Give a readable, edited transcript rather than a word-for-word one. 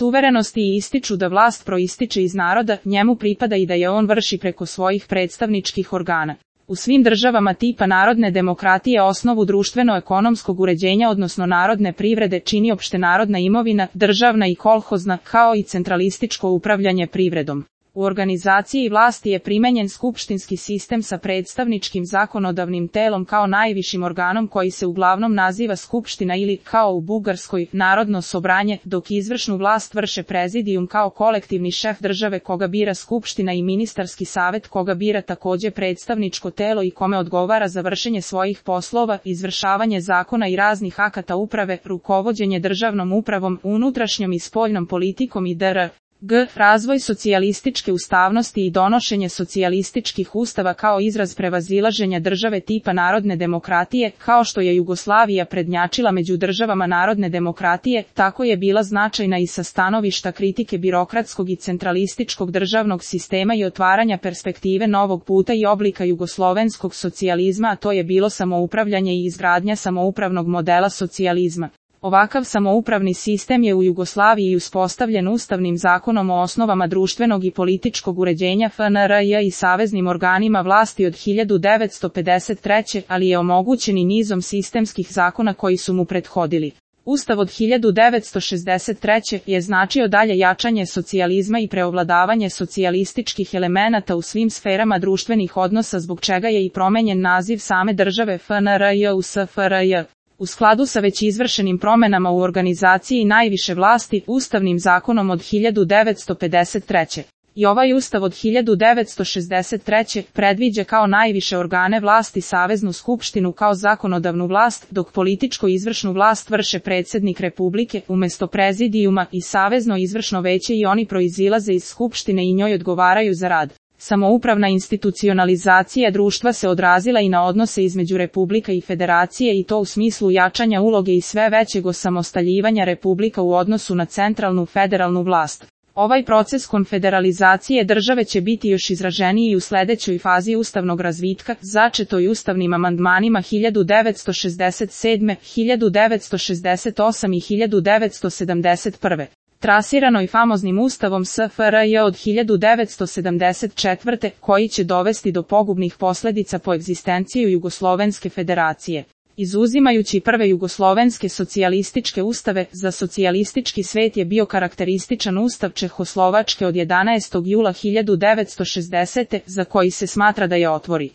suverenosti i ističu da vlast proističe iz naroda, njemu pripada i da je on vrši preko svojih predstavničkih organa. U svim državama tipa narodne demokratije osnovu društveno-ekonomskog uređenja odnosno narodne privrede čini opštenarodna imovina, državna i kolhozna, kao i centralističko upravljanje privredom. U organizaciji vlasti je primenjen skupštinski sistem sa predstavničkim zakonodavnim telom kao najvišim organom koji se uglavnom naziva skupština ili, kao u Bugarskoj, narodno sobranje, dok izvršnu vlast vrše prezidijum kao kolektivni šef države koga bira skupština i ministarski savet koga bira takođe predstavničko telo i kome odgovara za vršenje svojih poslova, izvršavanje zakona i raznih akata uprave, rukovođenje državnom upravom, unutrašnjom i spoljnom politikom i dr. Razvoj socijalističke ustavnosti i donošenje socijalističkih ustava kao izraz prevazilaženja države tipa narodne demokratije, kao što je Jugoslavija prednjačila među državama narodne demokratije, tako je bila značajna i sa stanovišta kritike birokratskog i centralističkog državnog sistema i otvaranja perspektive novog puta i oblika jugoslovenskog socijalizma, a to je bilo samoupravljanje i izgradnja samoupravnog modela socijalizma. Ovakav samoupravni sistem je u Jugoslaviji uspostavljen Ustavnim zakonom o osnovama društvenog i političkog uređenja FNRJ i saveznim organima vlasti od 1953. ali je omogućen i nizom sistemskih zakona koji su mu prethodili. Ustav od 1963. je značio dalje jačanje socijalizma i preovladavanje socijalističkih elemenata u svim sferama društvenih odnosa zbog čega je i promenjen naziv same države FNRJ u SFRJ. U skladu sa već izvršenim promenama u organizaciji najviše vlasti, Ustavnim zakonom od 1953. I ovaj Ustav od 1963. predviđa kao najviše organe vlasti Saveznu skupštinu kao zakonodavnu vlast, dok političko izvršnu vlast vrše predsjednik Republike, umesto prezidijuma i Savezno izvršno veće i oni proizilaze iz Skupštine i njoj odgovaraju za rad. Samoupravna institucionalizacija društva se odrazila i na odnose između Republika i Federacije i to u smislu jačanja uloge i sve većeg osamostaljivanja Republika u odnosu na centralnu federalnu vlast. Ovaj proces konfederalizacije države će biti još izraženiji u sledećoj fazi ustavnog razvitka, začetoj ustavnim amandmanima 1967., 1968. i 1971. Trasiranoj famoznim ustavom SFRJ od 1974. koji će dovesti do pogubnih posledica po egzistenciju Jugoslovenske federacije. Izuzimajući prve jugoslovenske socijalističke ustave, za socijalistički svet je bio karakterističan ustav Čehoslovačke od 11. jula 1960. za koji se smatra da je otvori.